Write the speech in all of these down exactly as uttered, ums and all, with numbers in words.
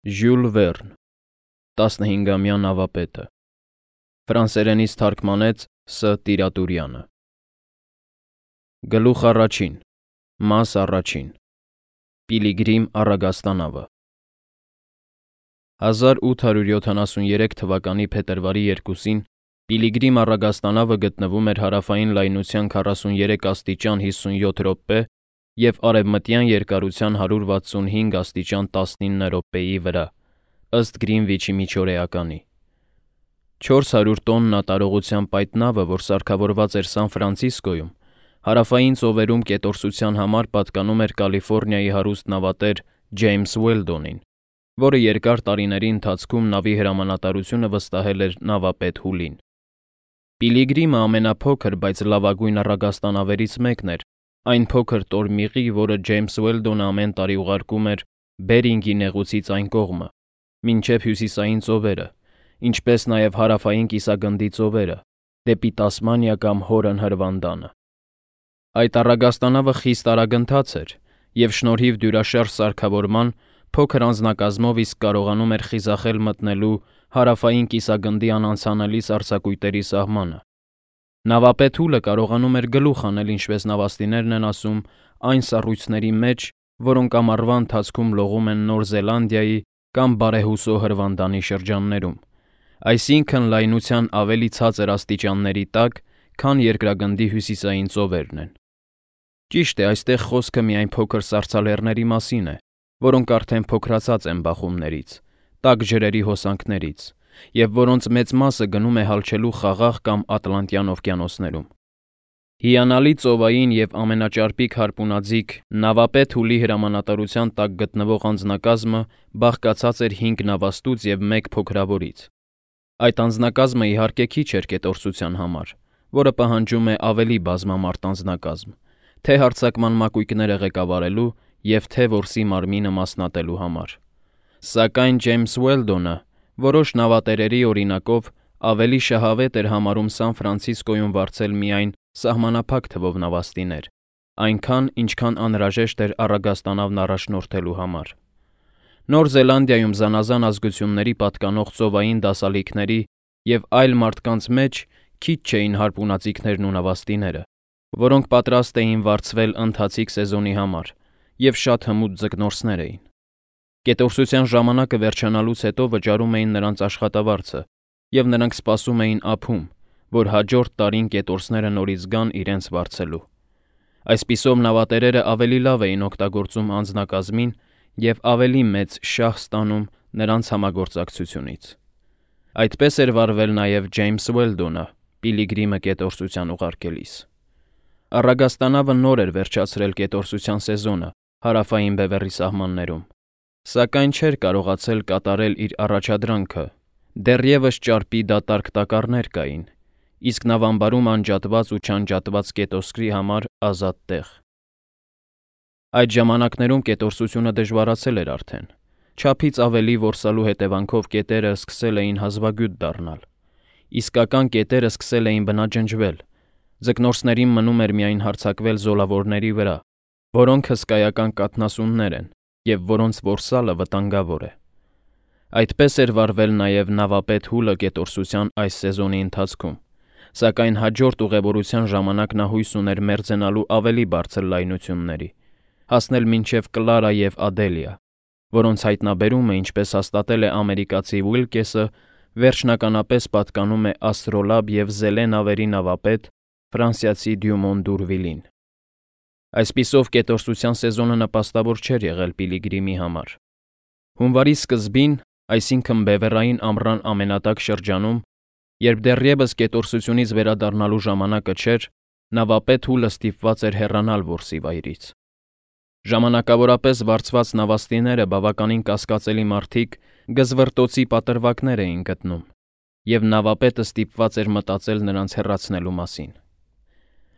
Ժյուլ Վերն, տասնհինգամյա նավապետը, ֆրանսերենից թարգմանեց Ս. Տիրատուրյանը։ Գլուխ առաջին, մաս առաջին, Պիլիգրիմ առագաստանավը։ հազար ութ հարյուր յոթանասուներեք թվականի փետրվարի երկուսին Պիլիգրիմ առագաստանավը գտնվում էր հարավային լայնության քառասուներեք աստիճան հիսունյոթ րոպե և արևմտյան երկարության հարյուր վաթսունհինգ աստիճան տասնինը րոպեի վրա, ըստ Գրինվիչի միջօրեականի։ չորս հարյուր տոննա տարողությամբ այդ նավը, որ սարքավորված էր Սան Ֆրանցիսկոյում, հարավային ծովերում կետորսության համար պատկանում էր Կալիֆոռնիայի հարուստ նավատեր Ջեյմս Ուելդոնին, որը երկար տարիների ընթացքում նավի հրամանատարությունը վստահել էր նավապետ Հուլին։ Պիլիգրիմը ամենափոքր, բայց լավագույն առագաստանավերից մեկն էր, այն փոքր տորմիղի, որը Ջեյմս Ուելդոնը ամեն տարի ուղարկում էր Բերինգի նեղուցից այն կողմը, մինչև հյուսիսային ծովերը, ինչպես նաև հարավային կիսագնդի ծովերը, դեպի Տասմանիա կամ Հորն հրվանդանը։ Այդ առագաստանավը խիստ արագընթաց էր և շնորհիվ դյուրաշարժ սարքավորման փոքր անձնակազմով իսկ կարողանում էր խիզախել մտնելու հարավային կիսագնդի անանցանելի սառցակույտերի սահմանը։ Նավապետ Հուլը կարողանում էր գլուխ անել, ինչպես նավաստիներն են ասում, այն սառույցների մեջ, որոնք ամառվա ընթացքում լողում են Նոր Զելանդիայի կամ բարեհուսո հրվանդանի շրջաններում, այսինքն լայնության ավելի ցածր աստիճանների տակ, քան երկրագնդի հյուսիսային ծովերն են։ Ճիշտ է, այստեղ խոսքը միայն փոքր սառցալեռների մասին է, որոնք արդեն փոքրացած են բախումներից, տաք ջրերի հոսանքներից, և որոնց մեծ մասը գնում է հալչելու Խաղաղ կամ Ատլանտյան օվկիանոսներում։ Հիանալի ծովային և ամենաճարպիկ հարպունաձիգ նավապետ Հուլի հրամանատարության տակ գտնվող անձնակազմը բաղկացած էր հինգ նավաստուց և մեկ փոքրավորից։ Այդ անձնակազմը իհարկե քիչ էր կետորսության համար, որը պահանջում է ավելի բազմամարդ անձնակազմ, թե հարձակման մակույկները ղեկավարելու և թե որսի մարմինը մասնատելու համար։ Սակայն Ջեյմս Ուելդոնը որոշ նավատերերի օրինակով ավելի շահավետ էր համարում Սան Ֆրանցիսկոյում վարձել միայն սահմանափակ թվով նավաստիներ, այնքան, ինչքան անհրաժեշտ էր առագաստանավն առաջնորդելու համար։ Նոր Զելանդիայում զանազան ազգությունների պատկանող ծովային դասալիքների և այլ մարդկանց մեջ քիչ չէին հարպունաձիգներն ու նավաստիները, որոնք պատրաստ էին վարձվել ընթացիկ սեզոնի համար, և շատ հմուտ ձկնորսներ էին։ Կետորսության ժամանակը վերջանալուց հետո վճարում էին նրանց աշխատավարձը, և նրանք սպասում էին ափում, որ հաջորդ տարին կետորսները նորից գան իրենց վարձելու։ Այսպիսով նավատերերը ավելի լավ էին օգտագործում անձնակազմին և ավելի մեծ շահ ստանում նրանց համագործակցությունից։ Այդպես էր վարվել նաև Ջեյմս Ուելդոնը Պիլիգրիմը կետորսության ուղարկելիս։ Առագաստանավը նոր էր վերջացրել կետորսության սեզոնը Հարավային Բևեռի սահմաններում, սակայն չէր կարողացել կատարել իր առաջադրանքը, դեռևս ճարպի դատարկ տակառներ կային, իսկ նավամբարում անջատված ու չանջատված կետոսկրի համար ազատ տեղ։ Այդ ժամանակներում կետորսությունը դժվարացել էր արդեն, չափից ավելի որսալու հետևանքով կետերը սկսել էին հազվագյուտ դառնալ, իսկական կետերը սկսել էին բնաջնջվել, ձկնորսներին մնում էր միայն հարձակվել զոլավորների վրա, որոնք հսկայական կաթնասուններ են և որոնց որսալը վտանգավոր է։ Այդպես էր վարվել նաև նավապետ Հուլը կետորսության այս սեզոնի ընթացքում, սակայն հաջորդ ուղևորության ժամանակ նա հույս ուներ մերձենալու ավելի բարձր լայնությունների, հասնել մինչև Կլարա և Ադելիա, որոնց հայտնաբերումը, ինչպես հաստատել է ամերիկացի Ուիլկեսը, վերջնականապես պատկանում է աստրոլաբ և զելե նավերի նավապետ ֆրանսիացի Դյումոն Դուրվիլին։ Այսպիսով կետորսության սեզոնը նպաստավոր չէր եղել Պիլիգրիմի համար։ Հունվարի սկզբին, այսինքն բևեռային ամռան ամենատաք շրջանում, երբ դեռևս կետորսությունից վերադառնալու ժամանակը չէր, նավապետ Հուլը ստիպված էր հեռանալ որսի վայրից։ Ժամանակավորապես վարձված նավաստիները բավականին կասկածելի մարդիկ գզվռտոցի պատրվակներ էին գտնում, և նավապետը ստիպված էր մտածել նրանց հեռացնելու մասին։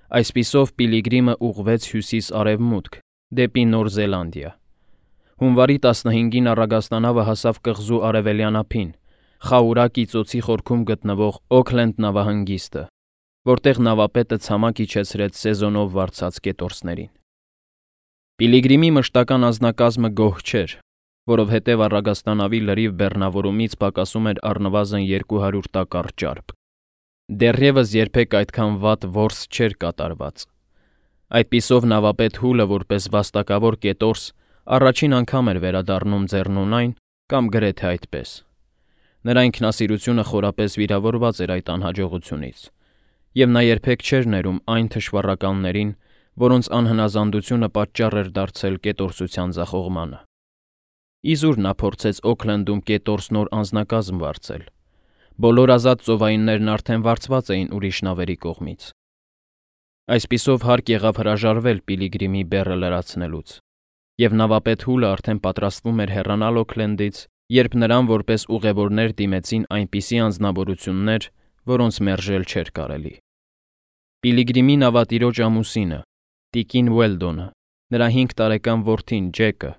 Այսպիսով Պիլիգրիմը ուղղվեց հյուսիս֊արևմուտք, դեպի Նոր Զելանդիա։ Հունվարի տասնհինգին առագաստանավը հասավ կղզու արևելյան ափին, Խաուրա կիծոցի խորքում գտնվող Օքլենդ նավահանգիստը, որտեղ նավապետը ցամաք իջեցրեց սեզոնով վարձած կետորսներին։ Պիլիգրիմի մշտական անձնակազմը գոհ չէր, որովհետև առագաստանավի լրիվ բեռնավորումից պակասում էր առնվազն երկու հարյուր տակառ ճարպ։ Դեռևս երբեք այդքան վատ որս չէր կատարված։ Այդպիսով նավապետ Հուլը որպես վաստակավոր կետորս առաջին անգամ էր վերադառնում Ձեռնունայն կամ գրեթե այդպես։ Նրա ինքնասիրությունը խորապես վիրավորված էր այդ անհաջողությունից, և նա երբեք չէր ներում այն թշվառականներին, որոնց անհնազանդությունը պատճառ էր դարձել կետորսության ձախողմանը։ Իզուր նա փորձեց Օքլենդում կետորս նոր անձնակազմ վարձել։ Բոլոր ազատ ծովայիններն արդեն վարձված էին ուրիշ նավերի կողմից։ Այսպիսով հարկ եղավ հրաժարվել Պիլիգրիմի բեռը լրացնելուց, և նավապետ Հուլը արդեն պատրաստվում էր հեռանալ Օքլենդից, երբ նրան որպես ուղևորներ դիմեցին այնպիսի անձնավորություններ, որոնց մերժել չէր կարելի։ Պիլիգրիմի նավատիրոջ ամուսինը, տիկին Ուելդոնը, նրա հինգ տարեկան որդին Ջեկը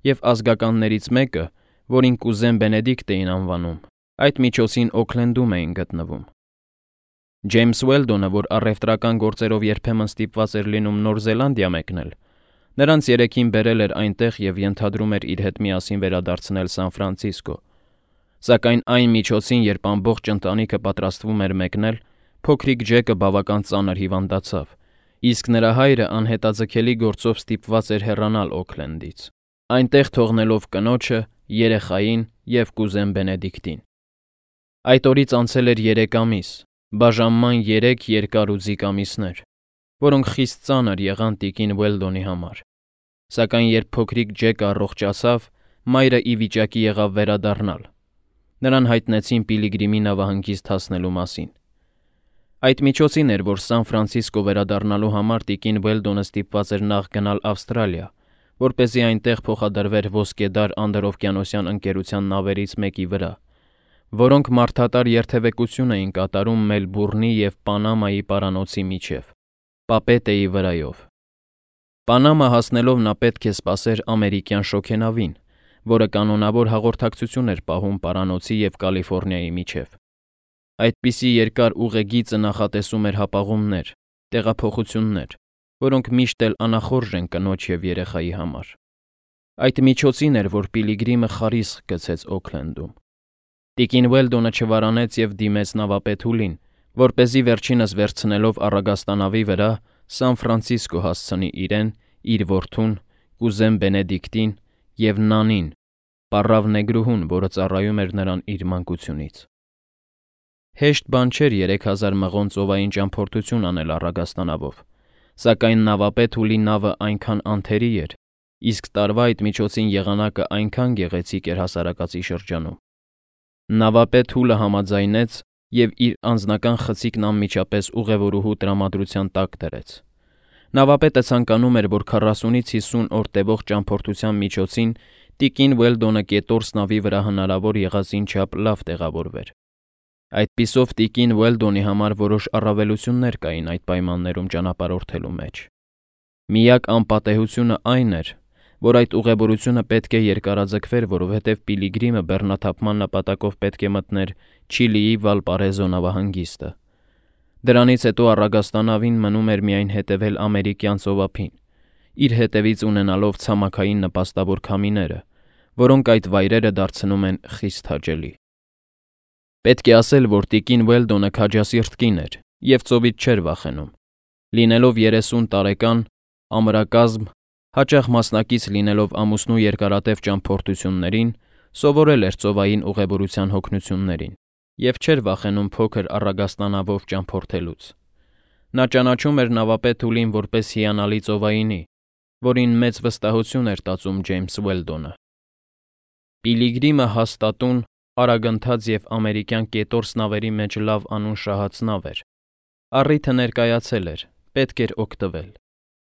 և ազգականներից մեկը, որին կուզեն Բենեդիկտ էին անվանում, այդ միջոցին Օքլենդում էին գտնվում։ Ջեյմս Ուելդոնը, որ առևտրական գործերով երբեմն ստիպված էր լինում Նոր Զելանդիա մեկնել, նրանց երեքին բերել էր այնտեղ և ենթադրում էր իր հետ միասին վերադարձնել Սան Ֆրանցիսկո, սակայն այն միջոցին, երբ ամբողջ ընտանիքը պատրաստվում էր մեկնել, փոքրիկ Ջեկը բավական ծանր հիվանդացավ, իսկ նրա հայրը անհետաձգելի գործով ստիպված էր հեռանալ Օքլենդից, այնտեղ թողնելով կնոջը, երեխային և կուզեն Բենեդիկտին։ Այդ օրից անցել էր երեք ամիս, բաժանման երեք երկար ու ձիգ ամիսներ, որոնք խիստ ծանր եղան տիկին Ուելդոնի համար, սակայն երբ փոքրիկ Ջեկը առողջացավ, մայրը ի վիճակի եղավ վերադառնալ։ Նրան հայտնեցին Պիլիգրիմի նավահանգիստ հասնելու մասին։ Այդ միջոցին էր, որ Սան Ֆրանցիսկո վերադառնալու համար տիկին Ուելդոնը ստիպված էր նախ գնալ Ավստրալիա, որպեսզի այնտեղ փոխադրվեր ոսկեդար անդրօվկիանոսյան ընկերության նավերից մեկի վրա, որոնք մարդատար երթևեկություն էին կատարում Մելբուրնի և Պանամայի պարանոցի միջև, Պապետեի վրայով։ Պանամա հասնելով նա պետք է սպասեր ամերիկյան շոգենավին, որը կանոնավոր հաղորդակցություն էր պահում պարանոցի և Կալիֆոռնիայի միջև։ Այդպիսի երկար ուղեգիծը նախատեսում էր հապաղումներ, տեղափոխություններ, որոնք միշտ էլ անախորժ են կնոջ և երեխայի համար։ Այդ միջոցին էր, որ Պիլիգրիմը խարիսխ գցեց Օքլենդում։ Տիկին Ուելդոնը չվարանեց և դիմեց նավապետ Հուլին, որպեսզի վերջինս վերցնելով առագաստանավի վրա Սան Ֆրանցիսկո հասցնի իրեն, իր որդուն, կուզեն Բենեդիկտին և Նանին, պառավ նեգրուհուն, որը ծառայում էր նրան իր մանկությունից։ Հեշտ բան չէր երեք հազար մղոն ծովային ճամփորդություն անել առագաստանավով, սակայն նավապետ Հուլի նավը այնքան անթերի էր, իսկ տարվա այդ միջոցին եղանակը այնքան գեղեցիկ էր հասարակածի շրջանում։ Նավապետ Հուլը համաձայնեց և իր անձնական խցիկն անմիջապես ուղևորուհու տրամադրության տակ դրեց։ Նավապետը ցանկանում էր, որ քառասունից հիսուն օր տևող ճամփորդության միջոցին տիկին Ուելդոնը կետորս նավի վրա հնարավոր եղածին չափ լավ տեղավորվեր։ Այդպիսով տիկին Ուելդոնի համար որոշ առավելություններ կային այդ պայմաններում ճանապարհորդելու մեջ։ Միակ անպատեհությունը այն էր, որ այդ ուղևորությունը պետք է երկարաձգվեր, որովհետև Պիլիգրիմը բեռնաթափման նպատակով պետք է մտներ Չիլիի Վալպարեզո նավահանգիստը։ Դրանից հետո առագաստանավին մնում էր միայն հետևել ամերիկյան ծովափին, իր հետևից ունենալով ցամաքային նպաստավոր քամիները, որոնք այդ վայրերը դարձնում են խիստ հաճելի։ Պետք է ասել, որ տիկին Ուելդոնը քաջասիրտ կին էր և ծովից չէր վախենում։ Լինելով երեսուն տարեկան, ամրակազմ, հաճախ մասնակից լինելով ամուսնու երկարատև ճամփորդություններին, սովորել էր ծովային ուղևորության հոգնություններին և չէր վախենում փոքր առագաստանավով ճամփորդելուց։ Նա ճանաչում էր նավապետ Հուլին որպես հիանալի ծովայինի, որին մեծ վստահություն էր տածում Ջեյմս Ուելդոնը։ Պիլիգրիմը հաստատուն, արագընթաց և ամերիկյան կետորս նավերի մեջ լավ անուն շահած նավ էր։ Առիթը ներկայացել էր, պետք էր օգտվել,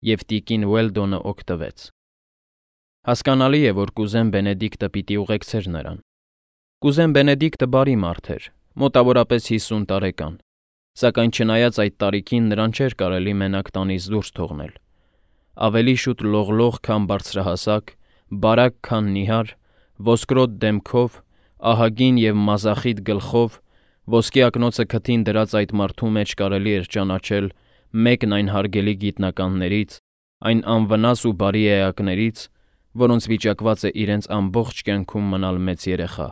և տիկին Ուելդոնը օգտվեց։ Հասկանալի է, որ կուզեն Բենեդիկտը պիտի ուղեկցեր նրան։ Կուզեն Բենեդիկտը բարի մարդ էր, մոտավորապես հիսուն տարեկան, սակայն չնայած այդ տարիքին նրան չէր կարելի մենակ տանից դուրս թողնել։ Ավելի շուտ լողլող, քան բարձրահասակ, բարակ, քան նիհար, ոսկրոտ դեմքով, ահագին և մազախիտ գլխով, ոսկե ակնոցը քթին դրած այդ մարդու մեջ կարելի էր ճանաչել մեկն այն հարգելի գիտնականներից, այն անվնաս ու բարի էակներից, որոնց վիճակված է իրենց ամբողջ կյանքում մնալ մեծ երեխա,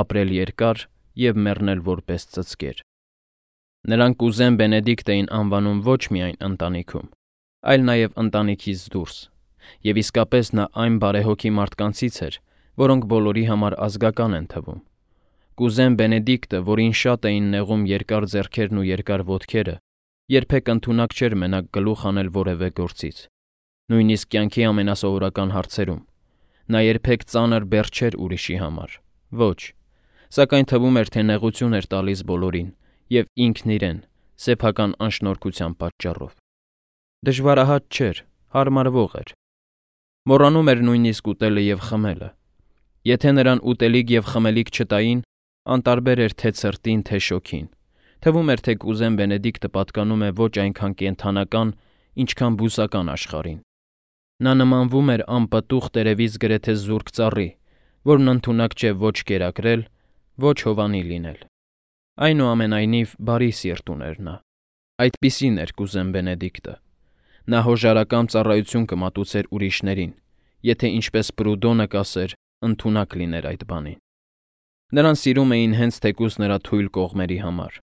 ապրել երկար և մեռնել որպես ծծկեր։ Նրան կուզեն Բենեդիկտ էին անվանում ոչ միայն ընտանիքում, այլ նաև ընտանիքից դուրս, և իսկապես նա այն բարեհոգի մարդկանցից էր, որոնք բոլորի համար ազգական են թվում։ Կուզեն Բենեդիկտը, որին շատ էին նեղում երկար ձեռքերն ու երկար ոտքերը, երբեք ընդունակ չէր մենակ գլուխ անել որևէ գործից, նույնիսկ կյանքի ամենասովորական հարցերում։ Նա երբեք ծանր բեռ չէր ուրիշի համար, ոչ, սակայն թվում էր, թե նեղություն էր տալիս բոլորին և ինքն իրեն, սեփական անշնորհքության պատճառով։ Դժվարահատ չէր, հարմարվող էր։ Մոռանում էր նույնիսկ ուտելը և խմելը։ Եթե նրան ուտելիք և խմելիք չտային, անտարբեր էր թե ցրտին, թե շոգին։ Թվում էր, թե կուզեն Բենեդիկտը պատկանում է ոչ այնքան կենդանական, ինչքան բուսական աշխարհին։ Նա նմանվում էր անպտուղ տերևից գրեթե զուրկ ծառի, որն ընդունակ չէ ոչ կերակրել, ոչ հովանի լինել։ Այնուամենայնիվ, բարի սիրտ ուներ նա։ Այդպիսին էր կուզեն Բենեդիկտը։ Նա հոժարակամ ծառայություն կմատուցեր ուրիշներին, եթե ինչպես Պրուդոնը կասեր, ընդունակ լիներ այդ բանին։ Նրան սիրում էին հենց թեկուզ նրա թույլ կողմերի համար։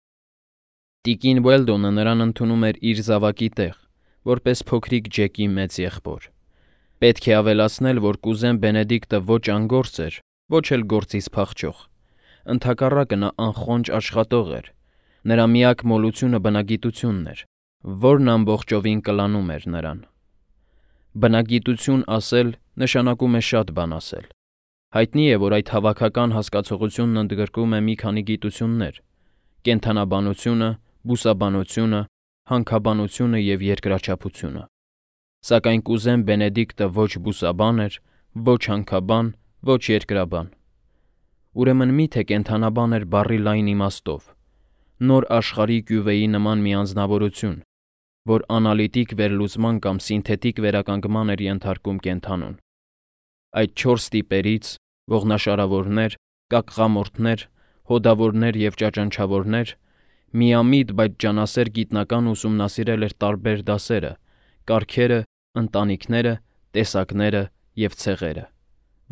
Տիկին Ուելդոնը նրան ընդունում էր իր զավակի տեղ, որպես փոքրիկ Ջեկի մեծ եղբոր։ Պետք է ավելացնել, որ կուզեն Բենեդիկտը ոչ անգործ էր, ոչ էլ գործից փախչող։ Ընդհակառակը նա անխոնջ աշխատող էր։ Նրա միակ մոլությունը բնագիտությունն էր, որն ամբողջովին կլանում էր նրան։ Բնագիտություն ասել նշանակում է շատ բան ասել։ Հայտնի է, որ այդ հավաքական հասկացողությունն ընդգրկում է մի քանի գիտություններ՝ կենդանաբանությունը, բուսաբանությունը, հանքաբանությունը և երկրաչափությունը։ Սակայն կուզեն Բենեդիկտը ոչ բուսաբան էր, ոչ հանքաբան, ոչ երկրաբան։ Ուրեմն մի՞թե կենդանաբան էր բառի լայն իմաստով, նոր աշխարհի կյուվեի նման մի անձնավորություն, որ անալիտիկ վերլուծման կամ սինթետիկ վերականգնման էր ենթարկում կենդանուն։ Այդ չորս տիպերից՝ ողնաշարավորներ, կակղամորթներ, հոդավորներ և ճաճանչավորներ, միամիտ, բայց ջանասեր գիտնական ուսումնասիրել էր տարբեր դասերը, կարգերը, ընտանիքները, տեսակները և ցեղերը։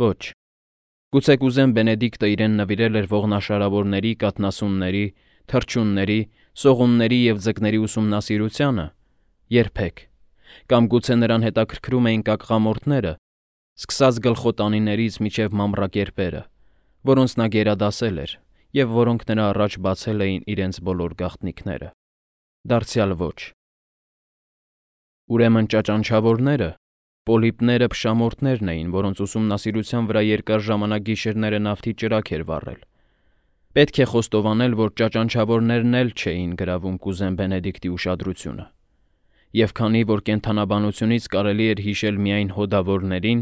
Ոչ։ Գուցե կուզեն Բենեդիկտը իրեն նվիրել էր ողնաշարավորների, կաթնասունների, թռչունների, սողունների և ձկների ուսումնասիրությանը։ Երբեք։ Կամ գուցե նրան հետաքրքրում էին կակղամորթները, սկսած գլխոտանիներից մինչև մամռակերպերը, որոնց նա գերադասել էր և որոնք նրա առաջ բացել էին իրենց բոլոր գաղտնիքները։ Դարձյալ ոչ։ Ուրեմն ճաճանչավորները, պոլիպները փշամորթներն էին, որոնց ուսումնասիրության վրա երկար ժամանակ գիշերները նավթի ճրագ էր վառել։ Պետք է խոստովանել, որ ճաճանչավորներն էլ չէին գրավում կուզեն Բենեդիկտի ուշադրությունը։ Եվ քանի որ կենդանաբանությունից կարելի էր հիշել միայն հոդավորներին,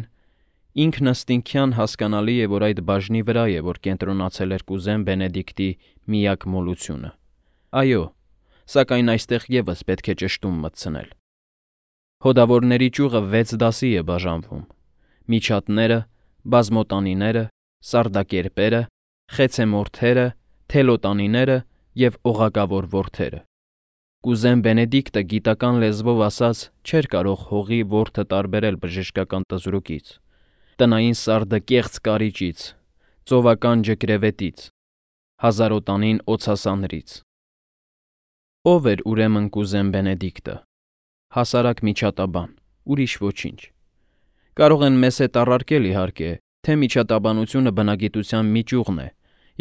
ինքնըստինքյան հասկանալի է, որ այդ բաժնի վրա է, որ կենտրոնացել էր կուզեն Բենեդիկտի միակ մոլությունը։ Այո, սակայն այստեղ ևս պետք է ճշտում մտցնել։ Հոդավորների ճյուղը վեց դասի է բաժանվում՝ միջատները, բազմոտանիները, սարդակերպերը, խեցեմորթերը, թելոտանիները և օղակավոր որդերը։ Կուզեն Բենեդիկտը գիտական լեզվով ասած չէր կարող հողի որդը տարբերել բժշկական տզրուկից, տնային սարդը կեղծ կարիճից, ծովական ջկրևետից, հազարոտանին օձասանրից։ Ո՞վ էր ուրեմն կուզեն Բենեդիկտը։ Հասարակ միջատաբան, ուրիշ ոչինչ։ Կարող են մեզ հետ առարկել, իհարկե, թե միջատաբանությունը բնագիտության մի ճյուղն է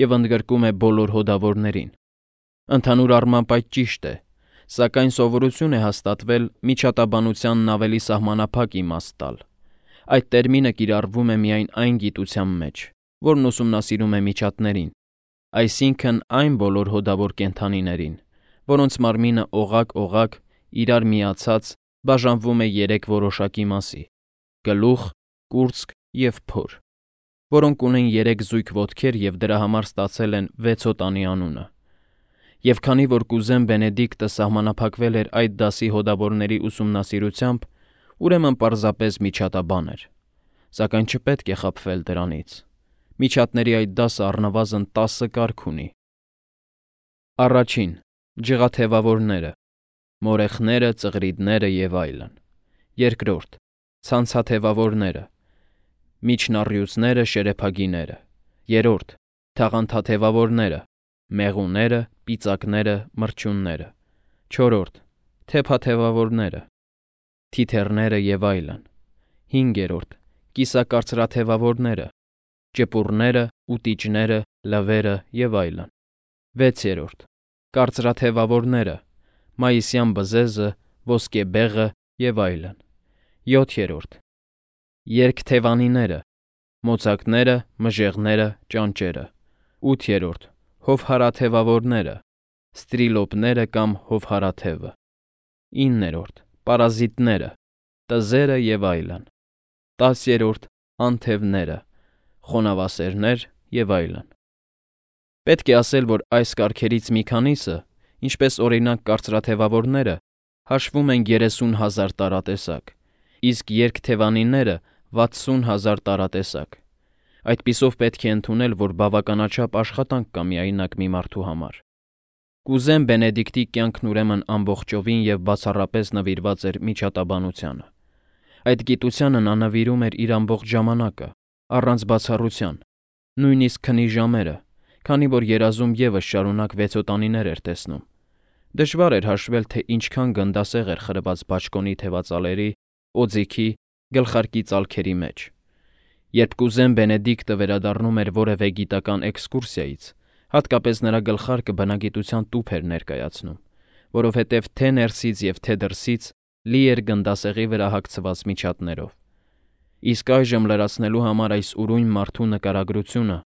և ընդգրկում է բոլոր հոդավորներին։ Ընդհանուր առմամբ այդ ճիշտ է, սակայն սովորություն է հաստատվել միջատաբանությանն ավելի սահմանափակ իմաստ տալ։ Այդ տերմինը կիրառվում է միայն այն գիտության մեջ, որն ուսումնասիրում է միջատներին, այսինքն այն բոլոր հոդավոր կենդանիներին, որոնց մարմինը օղակ-օղակ, իրար միացած բաժանվում է երեք որոշակի մասի՝ գլուխ, կուրծք և փոր, որոնք ունեն երեք զույգ ոտքեր և դրա համար ստացել են վեցոտանի անունը։ Եվ քանի որ կուզեն Բենեդիկտը սահմանափակվել էր այդ դասի հոդավորների ուսումնասիրությամբ, ուրեմն պարզապես միջատաբան էր։ Սակայն չպետք է խաբվել դրանից։ Միջատների այդ դասը առնվազն տասը կարգ ունի։ Առաջին՝ ջղաթևավորները, մորեխները, ծղրիդները և այլն։ Երկրորդ՝ ցանցաթևավորները, միջնառյուծները, շերեփագիները, երրորդ. թաղանթաթևավորները, մեղուները, պիծակները, մրջյունները, չորրորդ. թեփաթևավորները, թիթեռները և այլն, հինգերորդ. կիսակարծրաթևավորները, ճպուռները, ուտիճները, լվերը և այլն, վեցերորդ. կարծրաթևավորները, մայիսյան բզեզը, ոսկեբեղը և այլն, յոթերորդ. երկթևանիները, մոծակները, մժեղները, ճանճերը, ութերորդ. հովհարաթևավորները, ստրիլոպները կամ հովհարաթևը, իններորդ. պարազիտները, տզերը և այլն, տասերորդ. անթևները, խոնավասերներ և այլն։ Պետք է ասել, որ այս կարգերից մի քանիսը, ինչպես օրինակ կարծրաթևավորները, հաշվում են երեսուն հազար տարատեսակ, իսկ երկթևանիները վաթսուն հազար տարատեսակ։ Այդպիսով պետք է ընդունել, որ բավականաչափ աշխատանք կա միայնակ մի մարդու համար։ Կուզեն Բենեդիկտի կյանքն ուրեմն ամբողջովին և բացառապես նվիրված էր միջատաբանությանը։ Այդ գիտությանը նա նվիրում էր իր ամբողջ ժամանակը, առանց բացառության, նույնիսկ քնի ժամերը, քանի որ երազում ևս շարունակ վեցոտանիներ էր տեսնում։ Դժվար էր հաշվել, թե ինչքան գնդասեղ էր խրված բաճկոնի թևածալերի, օձիքի, գլխարկի ծալքերի մեջ։ Երբ կուզեն Բենեդիկտը վերադառնում էր որևէ գիտական էքսկուրսիայից, հատկապես նրա գլխարկը բնագիտության տուփ էր ներկայացնում, որովհետև թե ներսից և թե դրսից լի էր գնդասեղի վրա հագցված միջատներով։ Իսկ այժմ լրացնելու համար այս ուրույն մարդու նկարագրությունը,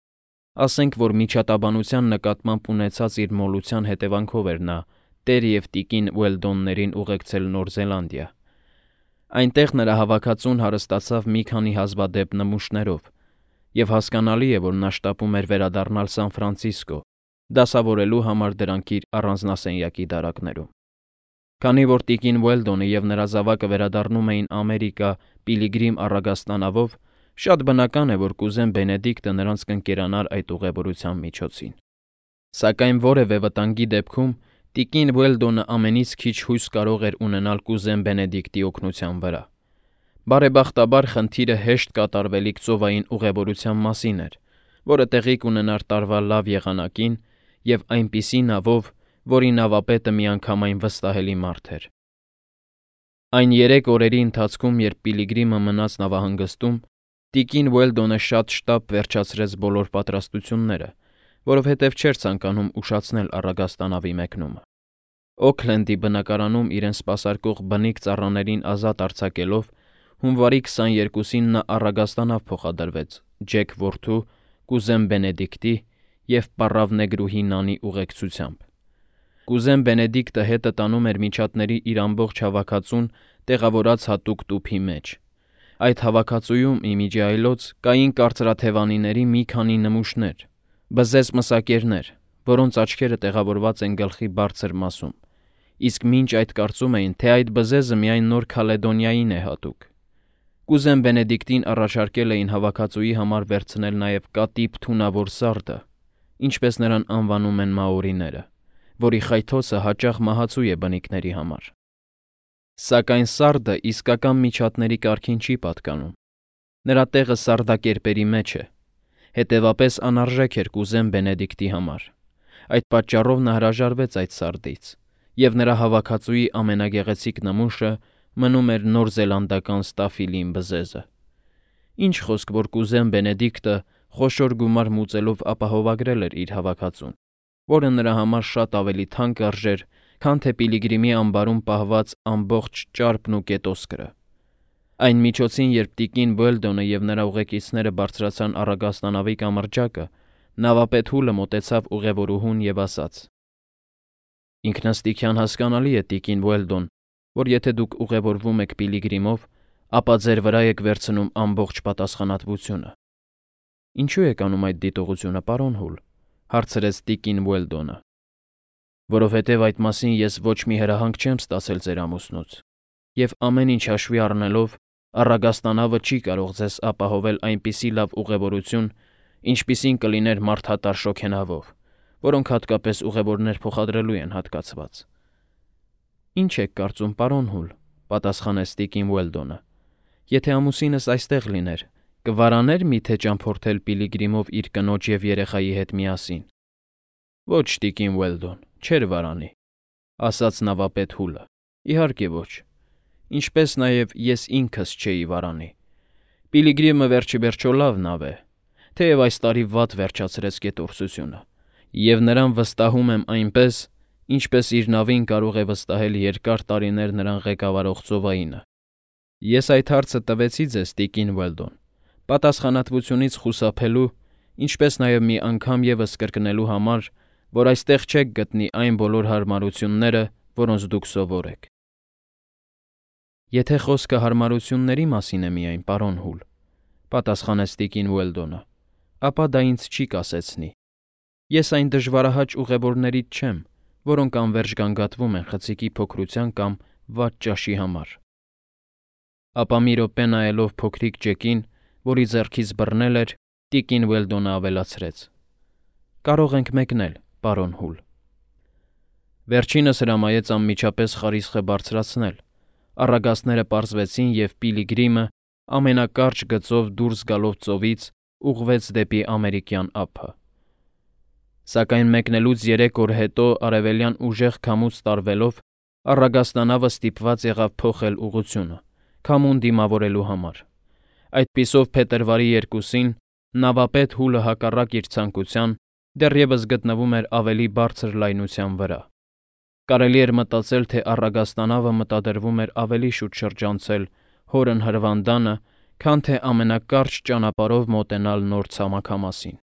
ասենք որ միջատաբանության նկատմամբ ունեցած իր մոլության հետևանքով էր նա տեր և տիկին Ուելդոններին ուղեկցել Նոր Զելանդիա։ Այնտեղ նրա հավաքածուն հարստացավ մի քանի հազվադեպ նմուշներով, և հասկանալի է, որ նա շտապում էր վերադառնալ Սան Ֆրանցիսկո, դասավորելու համար դրանք իր առանձնասենյակի դարակներում։ Քանի որ տիկին Ուելդոնը և նրա զավակը վերադառնում էին Ամերիկա Պիլիգրիմ առագաստանավով, շատ բնական է, որ կուզեն Բենեդիկտը նրանց կընկերանար այդ ուղևորության միջոցին։ Սակայն որևէ վտանգի դեպքում տիկին Ուելդոնը ամենից քիչ հույս կարող էր ունենալ կուզեն Բենեդիկտի օգնության վրա։ Բարեբախտաբար խնդիրը հեշտ կատարվելիք ծովային ուղևորության մասին էր, որը տեղի կունենար տարվա լավ եղանակին և այնպիսի նավով, որի նավապետը միանգամայն վստահելի մարդ էր։ Այն երեք օրերի ընթացքում, երբ Պիլիգրիմը մնաց նավահանգստում, տիկին Ուելդոնը շատ շտապ վերջացրեց բոլոր պատրաստությունները, որովհետև չէր ցանկանում ուշացնել առագաստանավի մեկնումը։ Օքլենդի բնակարանում իրեն սպասարկող բնիկ ծառաներին ազատ արձակելով, հունվարի քսաներկուսին նա առագաստանավ փոխադրվեց Ջեք որդու, կուզեն Բենեդիկտի և պառավ նեգրուհի Նանի ուղեկցությամբ։ Կուզեն Բենեդիկտը հետը տանում էր միջատների իր ամբողջ հավաքածուն տեղավորած հատուկ տուփի մեջ։ Այդ հավաքածուում, ի միջի այլոց, կային կարծրաթևանիների մի քանի նմուշներ, բզեզ մսակերներ, որոնց աչքերը տեղավորված են գլխի բարձր մասում, իսկ մինչ այդ կարծում էին, թե այդ բզեզը միայն Նոր Քալեդոնիային է հատուկ։ Կուզեն Բենեդիկտին առաջարկել էին հավաքածուի համար վերցնել նաև կատիպ թունավոր սարդը, ինչպես նրան անվանում են մաորիները, որի խայթոցը հաճախ մահացու է բնիկների համար։ Սակայն սարդը իսկական միջատների կարգին չի պատկանում։ Նրա տեղը սարդակերպերի մեջ է, հետևապես անարժեք էր կուզեն Բենեդիկտի համար։ Այդ պատճառով նա հրաժարվեց այդ սարդից, և նրա հավաքածուի ամենագեղեցիկ նմուշը մնում էր նոր զելանդական ստաֆիլին բզեզը։ Ինչ խոսք, որ կուզեն Բենեդիկտը խոշոր գումար մուծելով ապահովագրել էր իր հավաքածուն, որը նրա համար շատ ավելի թանկ արժեր, քան թե Պիլիգրիմի ամբարում պահված ամբողջ ճարպն ու կետոսկրը։ Այն միջոցին, երբ տիկին Ուելդոնը և նրա ուղեկիցները բարձրացան առագաստանավի կամրջակը, նավապետ Հուլը մոտեցավ ուղևորուհուն և ասաց. «Ինքնըստիքյան հասկանալի է, տիկին Ուելդոն, որ եթե դուք ուղևորվում եք Պիլիգրիմով, ապա ձեր վրա եք վերցնում ամբողջ պատասխանատվությունը»։ «Ինչու եք անում այդ դիտողությունը, պարոն Հուլ», հարցրեց տիկին Ուելդոնը։ «Որովհետև այդ մասին ես ոչ մի հրահանգ չեմ ստացել ձեր ամուսնուց, և ամեն ինչ հաշվի առնելով, առագաստանավը չի կարող ձեզ ապահովել այնպիսի լավ ուղևորություն, ինչպիսին կլիներ մարդատար շոգենավով, որոնք հատկապես ուղևորներ փոխադրելու են հատկացված»։ «Ինչ եք կարծում, պարոն Հուլ», պատասխանեց տիկին Ուելդոնը, «եթե ամուսինս այստեղ լիներ, Կվարաներ միթե ճամփորդել Պիլիգրիմով իր կնոջ և երեխայի հետ միասին։ Ոչ, տիկին Ուելդոն, չէր վարանի, ասաց նավապետ Հուլը։ Իհարկե ոչ, ինչպես նաև ես ինքս չէի վարանի։ Պիլիգրիմը վերջիվերջո լավ նավ է, թեև այս տարի վատ վերջացրեց գետորսությունը, և նրան վստահում եմ այնպես, ինչպես իր նավին կարող է վստահել երկար տարիներ նրան ղեկավարող ծովայինը։ Ես այդ հարցը տվեցի ձեզ, տիկին Ուելդոն, պատասխանատվությունից խուսափելու, ինչպես նաև մի անգամ ևս կրկնելու համար, որ այստեղ չեք գտնի այն բոլոր հարմարությունները, որոնց դուք սովոր եք։ Եթե խոսքը հարմարությունների մասին է միայն, պարոն Հուլ, պատասխանեց տիկին Ուելդոնը, ապա դա ինձ չի կասեցնի։ Ես այն դժվարահաճ ուղևորներից չեմ, որոնք անվերջ գանգատվում են խցիկի փոքրության կամ վատ ճաշի համար։ Ապա մի րոպե նայելով փոքրիկ Ջեկին, որի ձեռքից բռնել էր, տիկին Ուելդոնը ավելացրեց. Կարող ենք մեկնել, պարոն Հուլ։ Վերջինս հրամայեց անմիջապես խարիսխը բարձրացնել, առագաստները պարզվեցին և Պիլիգրիմը ամենակարճ գծով դուրս գալով ծովից ուղղվեց դեպի ամերիկյան ափը։ Սակայն մեկնելուց երեք օր հետո արևելյան ուժեղ քամուց տարվելով առագաստանավը ստիպված եղավ փոխել ուղղությունը, քամուն դիմավորելու համար։ Այդպիսով փետրվարի երկուսին նավապետ Հուլը հակառակ իր ցանկության դեռևս գտնվում էր ավելի բարձր լայնության վրա։ Կարելի էր մտածել, թե առագաստանավը մտադրվում էր ավելի շուտ շրջանցել հորն Հրվանդանը, քան թե ամենակարճ ճանապարհով մոտենալ նոր ցամաքամասին։